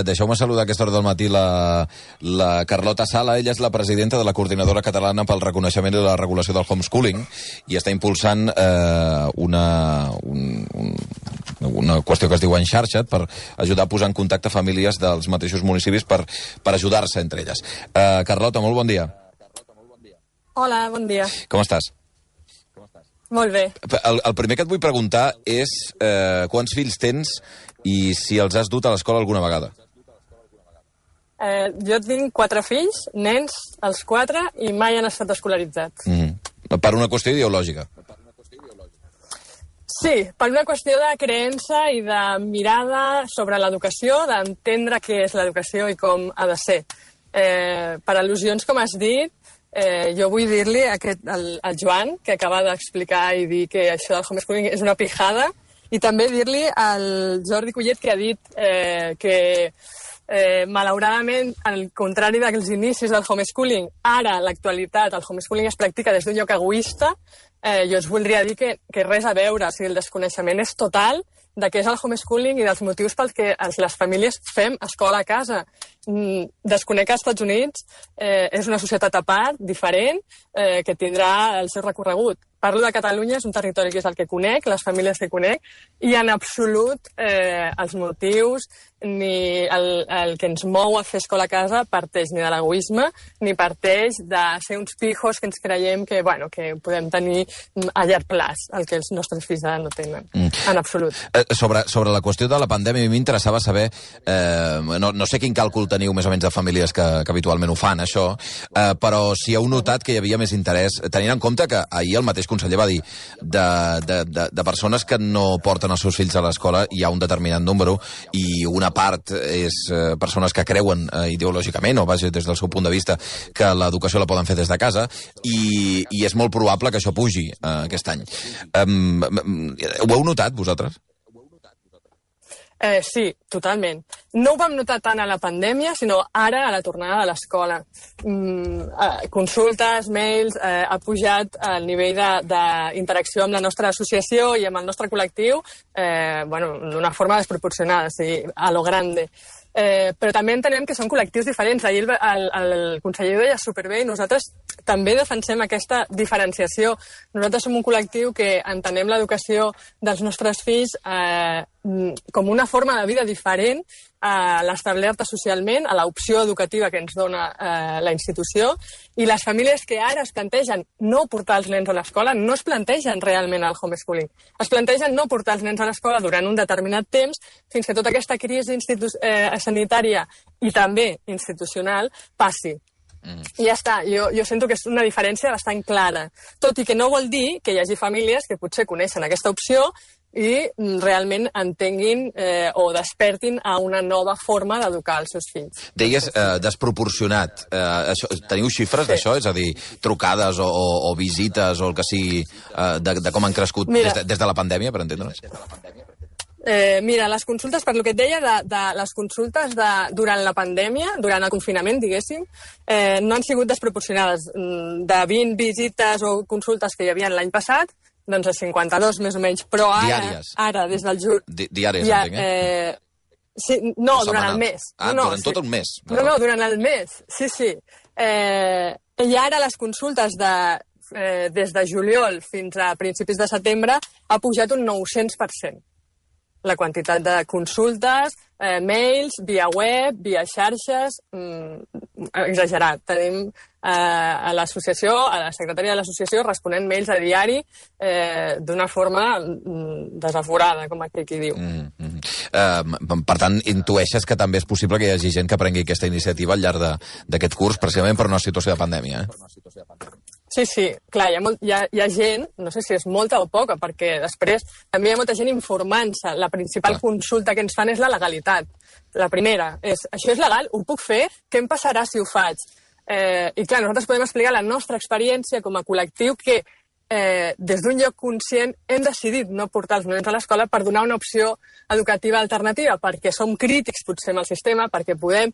Deixeu-me saludar a aquesta hora del matí la Carlota Sala. Ella és la presidenta de la Coordinadora Catalana pel Reconeixement i la Regulació del Homeschooling i està impulsant una qüestió que es diu Enxarxa't per ajudar a posar en contacte famílies dels mateixos municipis per ajudar-se entre elles. Carlota, molt bon dia. Hola, bon dia. Com estàs? Molt bé. El primer que et vull preguntar és quants fills tens i si els has dut a l'escola alguna vegada. Jo tinc 4 fills, nens, els 4, i mai han estat escolaritzats. Per una qüestió ideològica. Sí, per una qüestió de creença i de mirada sobre l'educació, d'entendre què és l'educació i com ha de ser. Per al·lusions, com has dit, jo vull dir-li al Joan, que acaba d'explicar i dir que això del homeschooling és una pijada, i també dir-li al Jordi Collet, que ha dit que malauradament, al contrari dels inicis del homeschooling, ara, l'actualitat, el homeschooling es practica des d'un lloc egoista. Jo us voldria dir que res a veure, o sigui, el desconeixement és total de què és el homeschooling i dels motius pels que les famílies fem escola a casa. Desconec que als Estats Units és una societat a part, diferent, que tindrà el seu recorregut. Parlo de Catalunya, és un territori que és el que conec, les famílies que conec, i en absolut els motius ni el que ens mou a fer escola a casa parteix ni de l'egoisme ni parteix de ser uns pijos que ens creiem que podem tenir a llarg plaç, el que els nostres fills ara no tenen, en absolut. Sobre la qüestió de la pandèmia, a mi m'interessava saber, no sé quin càlcul teniu més o menys de famílies que habitualment ho fan, això, però si heu notat que hi havia més interès, tenint en compte que ahir el mateix conseller va dir de persones que no porten els seus fills a l'escola hi ha un determinat número i una part és persones que creuen ideològicament o vaja des del seu punt de vista que l'educació la poden fer des de casa i és molt probable que això pugi aquest any. Ho heu notat vosaltres? Sí, totalment. No ho vam notar tant a la pandèmia, sinó ara a la tornada de l'escola. Consultes, mails, ha pujat el nivell d'interacció amb la nostra associació i amb el nostre col·lectiu d'una forma desproporcionada, o sigui, a lo grande. Però també entenem que són col·lectius diferents. Ahir el conseller ho deia superbé i nosaltres també defensem aquesta diferenciació. Nosaltres som un col·lectiu que entenem l'educació dels nostres fills com una forma de vida diferent a l'establerta socialment, a l'opció educativa que ens dona la institució, i les famílies que ara es plantegen no portar els nens a l'escola no es plantegen realment el homeschooling. Es plantegen no portar els nens a l'escola durant un determinat temps fins que tota aquesta crisi sanitària i també institucional passi. I ja està, jo sento que és una diferència bastant clara, tot i que no vol dir que hi hagi famílies que potser coneixen aquesta opció i realment entenguin o despertin a una nova forma d'educar els seus fills. Deies desproporcionat. Teniu xifres d'això? És a dir, trucades o visites o el que sigui de com han crescut des de la pandèmia, per entendre'ns? Mira, les consultes, per lo que et deia, de les consultes durant la pandèmia, durant el confinament, diguéssim, no han sigut desproporcionades. De 20 visites o consultes que hi havia l'any passat, doncs a 52 més o menys, però ara des del juny... Diàries, entenc, Sí, no, durant el mes. Durant tot un mes. No, durant el mes, sí. I ara les consultes des de juliol fins a principis de setembre ha pujat un 900%. La quantitat de consultes, mails, via web, via xarxes, exagerat. Tenim a l'associació, a la secretària de l'associació, responent mails a diari d'una forma desaforada, com aquí diu. Per tant, intueixes que també és possible que hi hagi gent que prengui aquesta iniciativa al llarg d'aquest curs, precisament per una situació de pandèmia, Sí, clar, hi ha gent, no sé si és molta o poca, perquè després també hi ha molta gent informant-se. La principal consulta que ens fan és la legalitat. La primera és, això és legal? Ho puc fer? Què em passarà si ho faig? I clar, nosaltres podem explicar la nostra experiència com a col·lectiu que des d'un lloc conscient hem decidit no portar els nens a l'escola per donar una opció educativa alternativa, perquè som crítics potser amb el sistema, perquè volem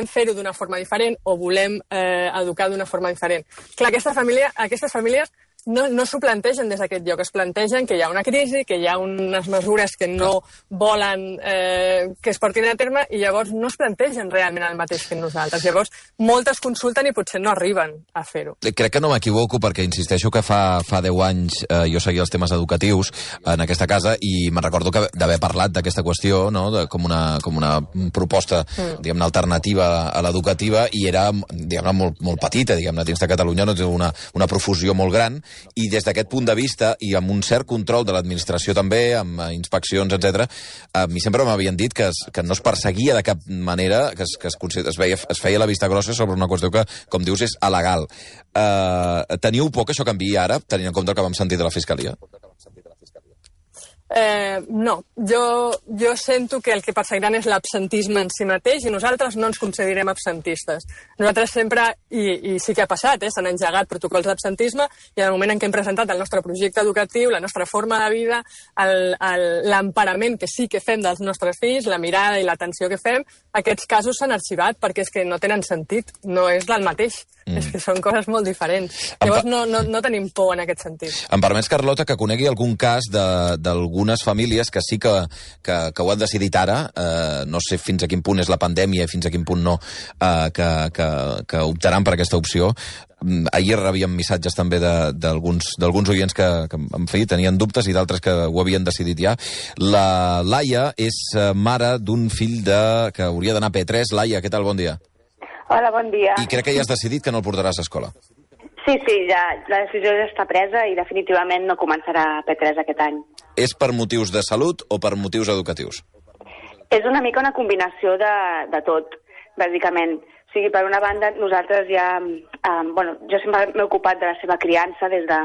fer-ho d'una forma diferent o volem educar d'una forma diferent. Clar, aquestes famílies no s'ho plantegen des d'aquest lloc, es plantegen que hi ha una crisi, que hi ha unes mesures que no volen que es portin a terme i llavors no es plantegen realment el mateix que nosaltres. Llavors, moltes consulten i potser no arriben a fer-ho. Crec que no m'equivoco perquè insisteixo que fa 10 anys jo seguia els temes educatius en aquesta casa i me'n recordo d'haver parlat d'aquesta qüestió, no? com una proposta diguem-ne alternativa a l'educativa i era diguem-ne molt petita, diguem-ne, dins de Catalunya no té una profusió molt gran i des d'aquest punt de vista i amb un cert control de l'administració també, amb inspeccions, etc. A mi sempre m'havien dit que no es perseguia de cap manera, que es feia la vista grossa sobre una qüestió que, com dius, és alegal. Teniu por que això canviï ara, tenint en compte el que vam sentir de la Fiscalia? No, jo sento que el que perseguiran és l'absentisme en si mateix i nosaltres no ens considerem absentistes. Nosaltres sempre, i sí que ha passat, s'han engegat protocols d'absentisme i en el moment en què hem presentat el nostre projecte educatiu, la nostra forma de vida, l'emparament que sí que fem dels nostres fills, la mirada i l'atenció que fem, aquests casos s'han arxivat perquè és que no tenen sentit, no és del mateix. És que són coses molt diferents. Llavors no tenim por en aquest sentit. Em permets, Carlota, que conegui algun cas d'algunes famílies que sí que ho han decidit ara, no sé fins a quin punt és la pandèmia i fins a quin punt no, que optaran per aquesta opció. Ahir rebíem missatges també d'alguns oients que en fi, tenien dubtes i d'altres que ho havien decidit ja. La Laia és mare d'un fill que hauria d'anar a P3. Laia, què tal? Bon dia. Hola, bon dia. I crec que ja has decidit que no el portaràs a escola. Sí, ja, la decisió ja està presa i definitivament no començarà a P3 aquest any. És per motius de salut o per motius educatius? És una mica una combinació de tot, bàsicament. O sigui, per una banda, nosaltres ja... jo sempre m'he ocupat de la seva criança des de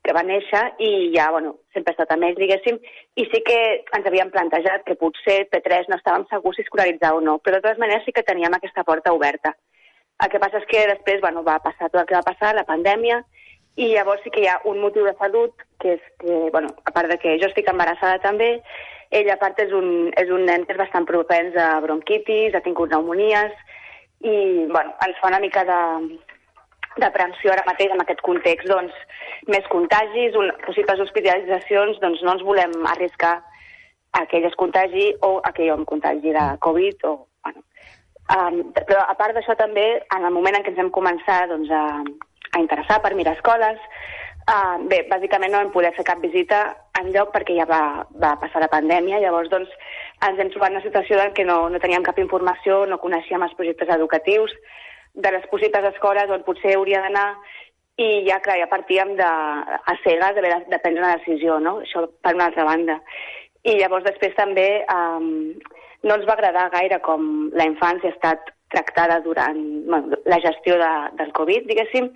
que va néixer i ja, sempre he estat amb ells, diguéssim, i sí que ens havíem plantejat que potser P3 no estàvem segurs si escolaritzar o no, però de totes maneres sí que teníem aquesta porta oberta. El que passa és que després, va passar tot el que va passar, la pandèmia, i llavors sí que hi ha un motiu de salut, que és que, a part de que jo estic embarassada també, ell a part és un nen que és bastant propens a bronquitis, ha tingut pneumonies, i, ens fa una mica d'aprensió ara mateix en aquest context, més contagis, possibles hospitalitzacions, no ens volem arriscar a que ell es contagi o a que jo em contagi de Covid, però a part d'això també, en el moment en què ens hem començat a interessar per mirar escoles, bàsicament no vam poder fer cap visita enlloc perquè ja va passar la pandèmia, llavors ens hem trobat en una situació en què no teníem cap informació, no coneixíem els projectes educatius, de les possibles escoles on potser hauria d'anar i ja partíem a cegues de prendre una decisió, no? Això per una altra banda. I llavors després també no ens va agradar gaire com la infància ha estat tractada durant la gestió del Covid, diguéssim.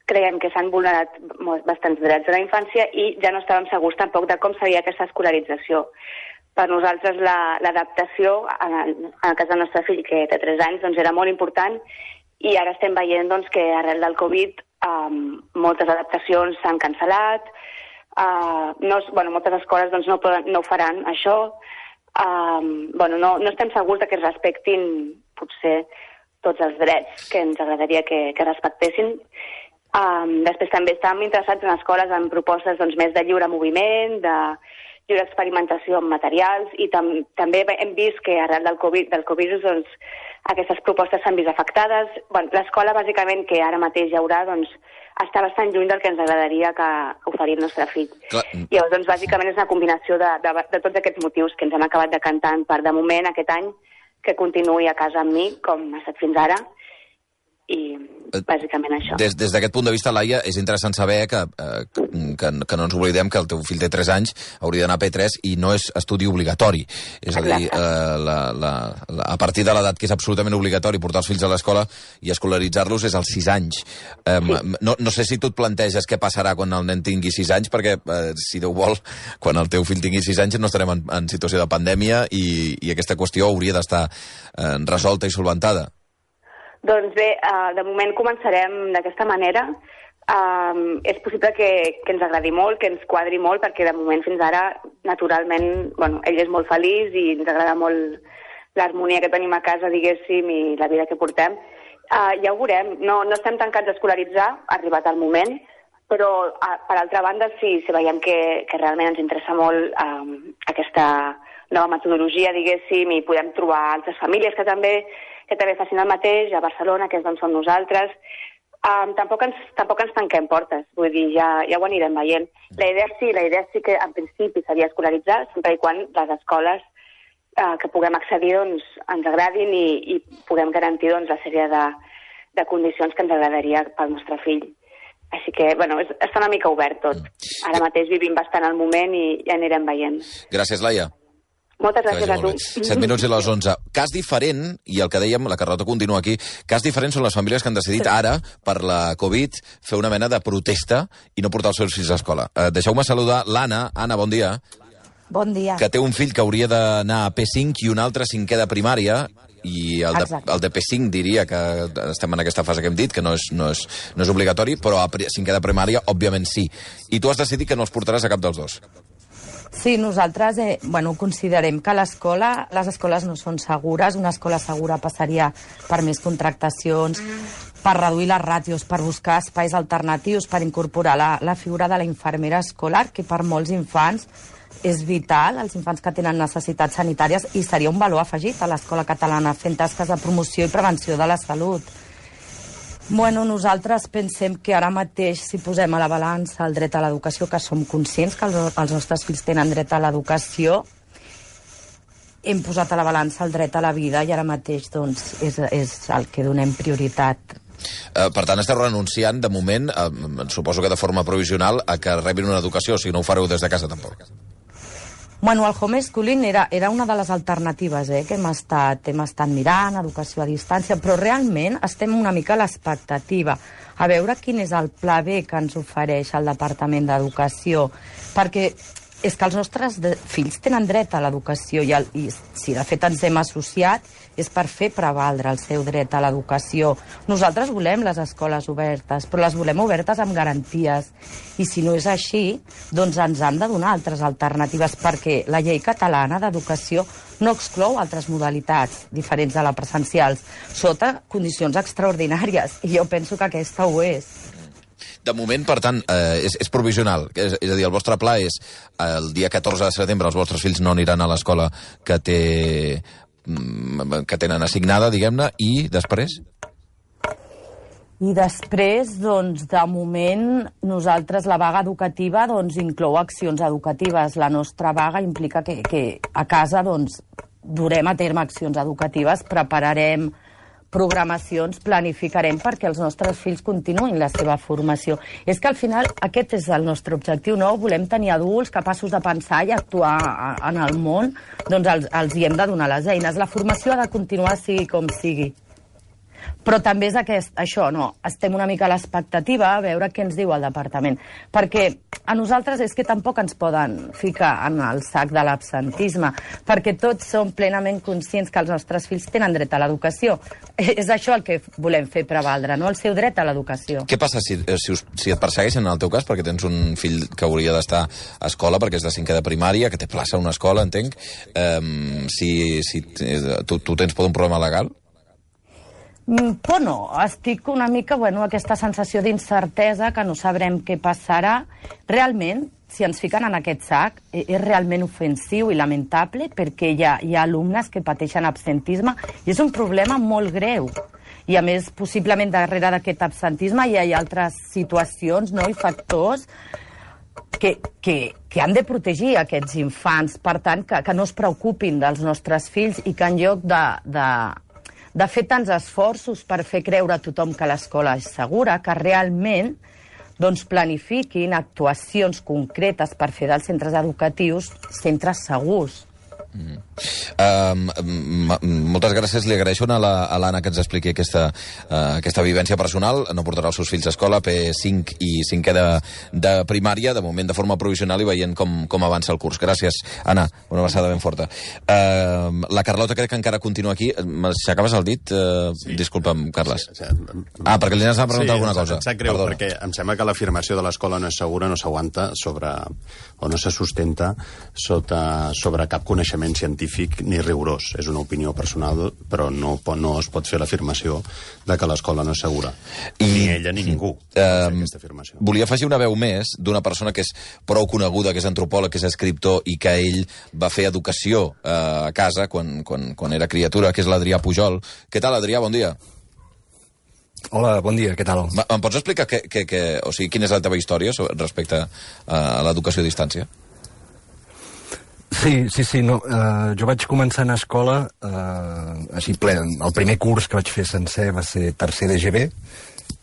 Creiem que s'han vulnerat bastants drets de la infància i ja no estàvem segurs tampoc de com seria aquesta escolarització. Per nosaltres l'adaptació, en el cas del nostre fill, que té 3 anys, era molt important i ara estem veient que arrel del Covid moltes adaptacions s'han cancel·lat, moltes escoles no ho faran, això. No estem segurs que es respectin potser tots els drets que ens agradaria que respectessin. Després també estàvem interessats en escoles amb propostes més de lliure moviment, de lliure experimentació amb materials i també hem vist que arrel del Covid aquestes propostes s'han vist afectades. L'escola, bàsicament, que ara mateix hi haurà, està bastant lluny del que ens agradaria que oferir el nostre fill. Llavors, bàsicament, és una combinació de tots aquests motius que ens hem acabat decantant per, de moment, aquest any, que continuï a casa amb mi, com ha estat fins ara, i bàsicament això. Des d'aquest punt de vista, Laia, és interessant saber que no ens oblidem que el teu fill té 3 anys, hauria d'anar a P3 i no és estudi obligatori. És a dir, a partir de l'edat que és absolutament obligatori portar els fills a l'escola i escolaritzar-los és als 6 anys. No sé si tu et planteges què passarà quan el nen tingui 6 anys, perquè, si Déu vol, quan el teu fill tingui 6 anys no estarem en situació de pandèmia i aquesta qüestió hauria d'estar resolta i solventada. Doncs bé, de moment començarem d'aquesta manera. És possible que ens agradi molt, que ens quadri molt, perquè de moment fins ara, naturalment, ell és molt feliç i ens agrada molt l'harmonia que tenim a casa, diguéssim, i la vida que portem. Ja ho veurem. No estem tancats a escolaritzar, ha arribat el moment, Però, per altra banda, sí, si veiem que realment ens interessa molt aquesta nova metodologia, diguéssim, i podem trobar altres famílies que també facin el mateix, a Barcelona, que és d'on som nosaltres. Tampoc ens tanquem portes, vull dir, ja ho anirem veient. La idea sí que en principi seria escolaritzar, sempre i quan les escoles que puguem accedir doncs, ens agradin i puguem garantir doncs, la sèrie de condicions que ens agradaria pel nostre fill. Així que, bueno, està una mica obert tot. Ara mateix vivim bastant el moment i ja anirem veient. Gràcies, Laia. Moltes gràcies a tu. 7 minuts i les 11. Cas diferent, i el que dèiem, la Carlota continua aquí, cas diferent són les famílies que han decidit ara, per la Covid, fer una mena de protesta i no portar els seus fills a escola. Deixeu-me saludar l'Anna. Anna, bon dia. Bon dia. Que té un fill que hauria d'anar a P5 i un altre a 5è de primària, i el de P5 diria que estem en aquesta fase que hem dit, que no és obligatori, però a 5è de primària, òbviament sí. I tu has decidit que no els portaràs a cap dels dos. Sí, nosaltres considerem que les escoles no són segures. Una escola segura passaria per més contractacions, per reduir les ràtios, per buscar espais alternatius, per incorporar la figura de la infermera escolar, que per molts infants és vital, els infants que tenen necessitats sanitàries, i seria un valor afegit a l'escola catalana fent tasques de promoció i prevenció de la salut. Bueno, nosaltres pensem que ara mateix, si posem a la balança el dret a l'educació, que som conscients que els nostres fills tenen dret a l'educació, hem posat a la balança el dret a la vida i ara mateix doncs, és el que donem prioritat. Per tant, esteu renunciant, de moment, suposo que de forma provisional, a que rebin una educació, o sigui, no ho fareu des de casa, tampoc. Bueno, el homeschooling era una de les alternatives que hem estat mirant, educació a distància, però realment estem una mica a l'expectativa, a veure quin és el pla B que ens ofereix el Departament d'Educació, perquè és que els nostres fills tenen dret a l'educació i si de fet ens hem associat és per fer prevaldre el seu dret a l'educació. Nosaltres volem les escoles obertes, però les volem obertes amb garanties. I si no és així, doncs ens han de donar altres alternatives, perquè la llei catalana d'educació no exclou altres modalitats diferents de la presencials, sota condicions extraordinàries, i jo penso que aquesta ho és. De moment, per tant, és provisional. És a dir, el vostre pla és el dia 14 de setembre els vostres fills no aniran a l'escola que tenen assignada, diguem-ne, i després? I després, doncs, de moment, nosaltres la vaga educativa doncs, inclou accions educatives. La nostra vaga implica que a casa doncs, durem a terme accions educatives, prepararem programacions, planificarem perquè els nostres fills continuïn la seva formació. És que al final aquest és el nostre objectiu, no? Volem tenir adults capaços de pensar i actuar en el món, doncs els hi hem de donar les eines. La formació ha de continuar sigui com sigui. Però també és això, no? Estem una mica a l'expectativa a veure què ens diu el departament. Perquè a nosaltres és que tampoc ens poden ficar en el sac de l'absentisme, perquè tots som plenament conscients que els nostres fills tenen dret a l'educació. És això el que volem fer prevaldre, no? El seu dret a l'educació. Què passa si et persegueixen en el teu cas, perquè tens un fill que hauria d'estar a escola, perquè és de 5è de primària, que té plaça a una escola, entenc, si tu tens un problema legal? Però no, estic una mica, aquesta sensació d'incertesa, que no sabrem què passarà. Realment, si ens fiquen en aquest sac, és realment ofensiu i lamentable, perquè hi ha alumnes que pateixen absentisme i és un problema molt greu. I a més, possiblement darrere d'aquest absentisme hi ha altres situacions, no?, i factors que han de protegir aquests infants. Per tant, que no es preocupin dels nostres fills i que en lloc de fer tants esforços per fer creure a tothom que l'escola és segura, que realment doncs, planifiquin actuacions concretes per fer dels centres educatius centres segurs. Moltes gràcies, li agraeixo a l'Anna que ens expliqui aquesta vivència personal. No portarà els seus fills a escola, P5 i 5è de primària, de moment de forma provisional, i veient com avança el curs. Gràcies, Anna, una abraçada ben forta. La Carlota crec que encara continua aquí. M'aixecaves el dit? Disculpa'm, Carles. Perquè li anaves a preguntar alguna cosa. Em sap greu, perquè em sembla que l'afirmació de l'escola no és segura, no s'aguanta o no se sustenta sobre cap coneixement coneixement científic ni rigorós. És una opinió personal, però no es pot fer l'afirmació de que l'escola no és segura. Ni ella ni ningú pot fer aquesta afirmació. Volia afegir una veu més d'una persona que és prou coneguda, que és antropòleg, que és escriptor i que ell va fer educació a casa quan era criatura, que és l'Adrià Pujol. Què tal, Adrià? Bon dia. Hola, bon dia, què tal? Em pots explicar quina és la teva història respecte a l'educació a distància? Sí, no. Jo vaig començar a anar a escola així ple. El primer curs que vaig fer sencer va ser tercer d'EGB,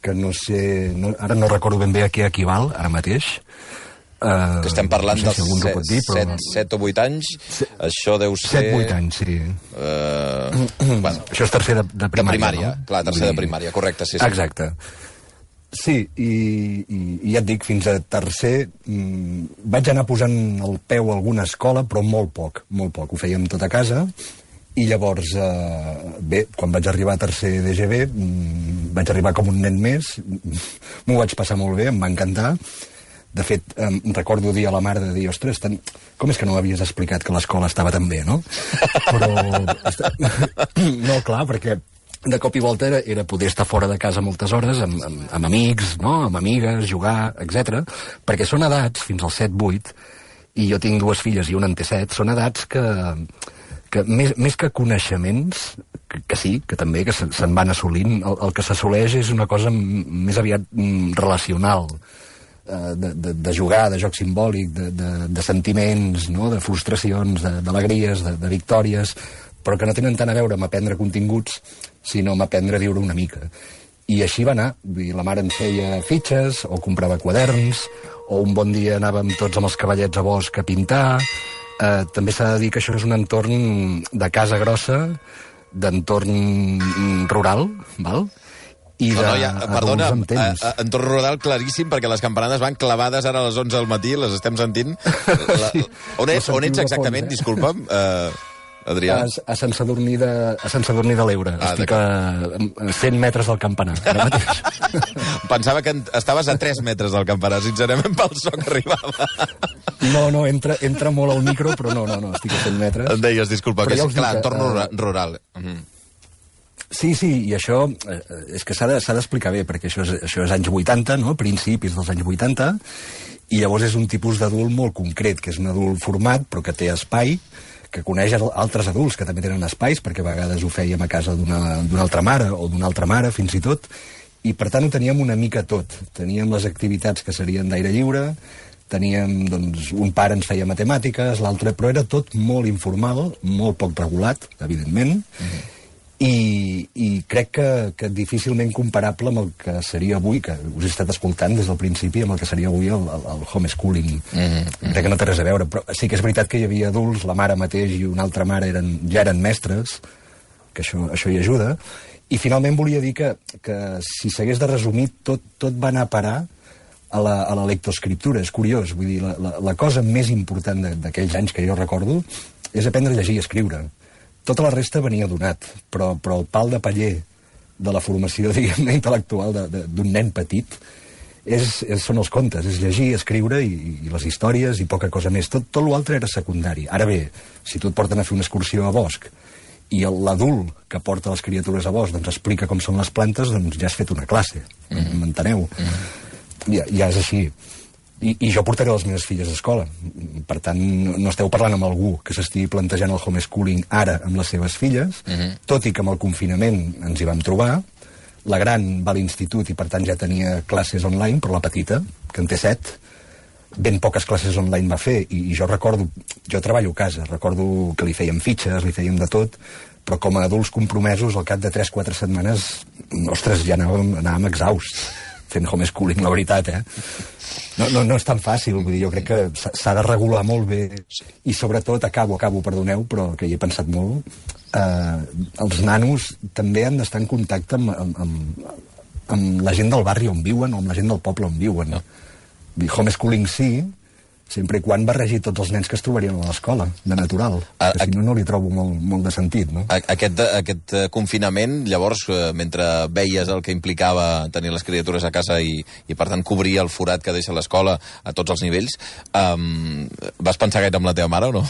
que no sé... Ara no recordo ben bé a què equival, ara mateix. Que estem parlant no sé dels si 7 o 8 anys. Això deu ser... 7-8 anys, sí. Bueno, això és tercer de primària. De primària, no? Clar, tercer de primària, correcte, sí. Exacte. Sí, i ja et dic, fins a tercer vaig anar posant el peu a alguna escola, però molt poc. Ho fèiem tot a casa, i llavors, bé, quan vaig arribar a tercer d'EGB, vaig arribar com un nen més, m'ho vaig passar molt bé, em va encantar. De fet, recordo dir a la mare de dir, ostres, com és que no m'havies explicat que l'escola estava tan bé, no? Però... No, clar, perquè de cop i volta era poder estar fora de casa moltes hores, amb amics, no? Amb amigues, jugar, etc. Perquè són edats, fins als 7-8, i jo tinc 2 filles i una en té 7, són edats que més que coneixements, que sí, que també, que se'n van assolint, el que s'assoleix és una cosa més aviat relacional, de jugar, de joc simbòlic, de sentiments, no? De frustracions, d'alegries, de victòries, però que no tenen tant a veure amb aprendre continguts, sinó amb aprendre a viure una mica. I així va anar. La mare ens feia fitxes, o comprava quaderns, o un bon dia anàvem tots amb els cavallets a bosc a pintar. També s'ha de dir que això és un entorn de casa grossa, d'entorn rural, val? I perdona, entorn rural claríssim, perquè les campanades van clavades ara a les 11 del matí, les estem sentint. Sí, on ets exactament, disculpa'm, Adrià? A Sant Sadurní de l'Eure. Estic a 100 metres del campanar. Pensava que estaves a 3 metres del campanar, sincerament, pel so que arribava. No, entra molt al micro, però no, estic a 100 metres. Em deies, disculpa, que és clar, entorn rural. Sí, i això és que s'ha d'explicar bé, perquè això és anys 80, no? Principis dels anys 80, i llavors és un tipus d'adult molt concret, que és un adult format, però que té espai, que coneix altres adults que també tenen espais, perquè a vegades ho fèiem a casa d'una altra mare, o d'una altra mare, fins i tot, i per tant ho teníem una mica tot. Teníem les activitats que serien d'aire lliure, teníem, doncs, un pare ens feia matemàtiques, l'altre, però era tot molt informal, molt poc regulat, evidentment, i crec que difícilment comparable amb el que seria avui, que us he estat escoltant des del principi, amb el que seria avui el homeschooling. Crec que no té res a veure, però sí que és veritat que hi havia adults, la mare mateix i una altra mare ja eren mestres, que això hi ajuda, i finalment volia dir que si s'hagués de resumir, tot va anar a parar a la lectoescriptura. És curiós, vull dir, la cosa més important d'aquells anys que jo recordo és aprendre a llegir i escriure. Tota la resta venia donat, però el pal de paller de la formació, diguem-ne, intel·lectual d'un nen petit són els contes, és llegir, escriure i les històries i poca cosa més. Tot l'altre era secundari. Ara bé, si tu et porten a fer una excursió a bosc i l'adult que porta les criatures a bosc doncs explica com són les plantes, doncs ja has fet una classe, m'enteneu? Ja és així. I jo portaré les meves filles a escola. Per tant, no esteu parlant amb algú que s'estigui plantejant el homeschooling ara amb les seves filles, tot i que amb el confinament ens hi vam trobar. La gran va a l'institut i per tant ja tenia classes online, però la petita, que en té 7, ben poques classes online va fer. I jo treballo a casa, recordo que li fèiem fitxes, li fèiem de tot, però com a adults compromesos, al cap de 3-4 setmanes, ostres, ja anàvem exhausts fent homeschooling, la veritat, No és tan fàcil, vull dir, jo crec que s'ha de regular molt bé, i sobretot, acabo, perdoneu, però que hi he pensat molt, els nanos també han d'estar en contacte amb la gent del barri on viuen, o amb la gent del poble on viuen. Homeschooling sí, sempre i quan barregi tots els nens que es trobarien a l'escola, de natural. Que si no li trobo molt de sentit, no? Aquest confinament, llavors, mentre veies el que implicava tenir les criatures a casa i per tant, cobrir el forat que deixa l'escola a tots els nivells, vas pensar gaire amb la teva mare o no?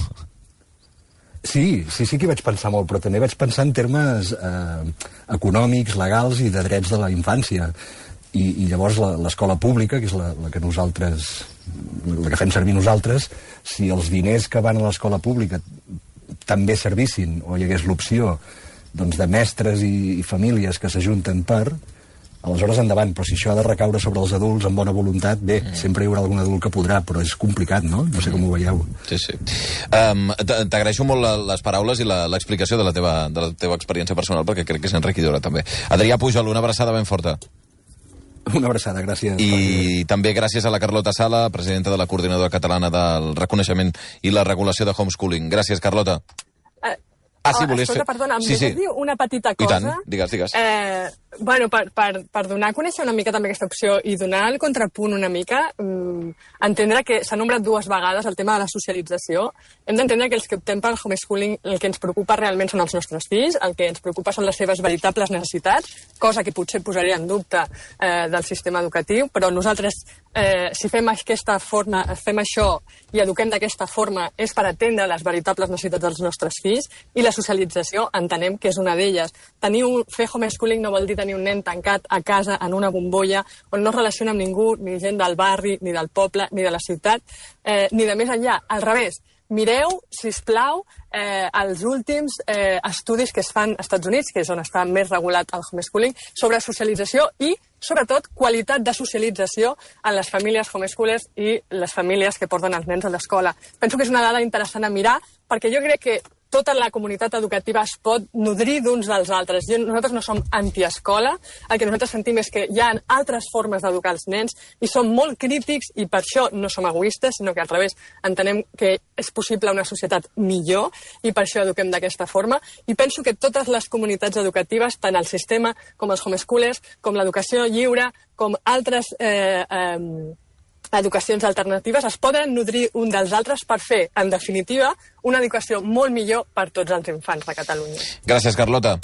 Sí que hi vaig pensar molt, però també vaig pensar en termes econòmics, legals i de drets de la infància. I llavors l'escola pública, que és la que nosaltres, la que fem servir nosaltres, si els diners que van a l'escola pública també servissin, o hi hagués l'opció de mestres i famílies que s'ajunten aleshores endavant, però si això ha de recaure sobre els adults amb bona voluntat, bé, sempre hi haurà algun adult que podrà, però és complicat, no? No sé com ho veieu. Sí. T'agraeixo molt les paraules i l'explicació de la teva experiència personal, perquè crec que és enriquidora, també. Adrià Pujol, una abraçada ben forta. Una abraçada, gràcies. I també gràcies a la Carlota Sala, presidenta de la Coordinadora Catalana del Reconeixement i la Regulació de Homeschooling. Gràcies, Carlota. Sí, volies fer... Perdona, em deixes dir una petita cosa? I tant, digues. Per donar a conèixer una mica també aquesta opció i donar el contrapunt una mica, entendre que s'ha nombrat 2 vegades el tema de la socialització. Hem d'entendre que els que optem pel homeschooling el que ens preocupa realment són els nostres fills, el que ens preocupa són les seves veritables necessitats, cosa que potser posaria en dubte del sistema educatiu, però nosaltres, si fem fem això i eduquem d'aquesta forma, és per atendre les veritables necessitats dels nostres fills, i la socialització entenem que és una d'elles. Fer homeschooling no vol dir tenir un nen tancat a casa en una bombolla on no es relaciona amb ningú, ni gent del barri, ni del poble, ni de la ciutat, ni de més enllà. Al revés, mireu, sisplau, els últims estudis que es fan als Estats Units, que és on està més regulat el homeschooling, sobre socialització i, sobretot, qualitat de socialització en les famílies homeschoolers i les famílies que porten els nens a l'escola. Penso que és una dada interessant a mirar, perquè jo crec que tota la comunitat educativa es pot nodrir d'uns dels altres. Nosaltres no som antiescola, el que nosaltres sentim és que hi ha altres formes d'educar els nens i som molt crítics i per això no som egoistes, sinó que al revés entenem que és possible una societat millor i per això eduquem d'aquesta forma. I penso que totes les comunitats educatives, tant el sistema com els homeschoolers, com l'educació lliure, com altres educacions alternatives, es poden nodrir un dels altres per fer, en definitiva, una educació molt millor per tots els infants de Catalunya. Gràcies, Carlota.